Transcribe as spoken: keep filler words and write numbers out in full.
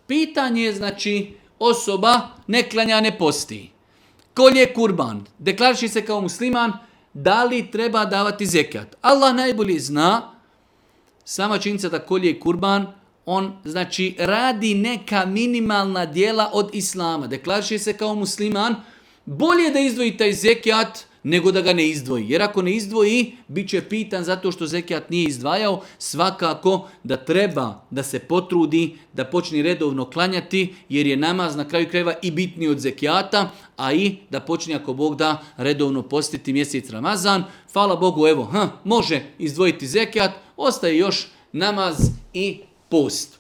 Pitanje je, znači, osoba ne klanja, ne posti. Kolje kurban, deklariši se kao musliman, da li treba davati zekat? Allah najbolje zna, sama činjenica da kolje kurban, on znači radi neka minimalna djela od islama. Deklariši se kao musliman, bolje da izdvoji taj zekat nego da ga ne izdvoji. Jer ako ne izdvoji, bit će pitan zato što zekat nije izdvajao. Svakako da treba da se potrudi, da počne redovno klanjati, jer je namaz na kraju krajeva i bitniji od zekijata, a i da počne, ako Bog da, redovno postiti mjesec Ramazan. Hvala Bogu, evo, hm, može izdvojiti zekat, ostaje još namaz i post.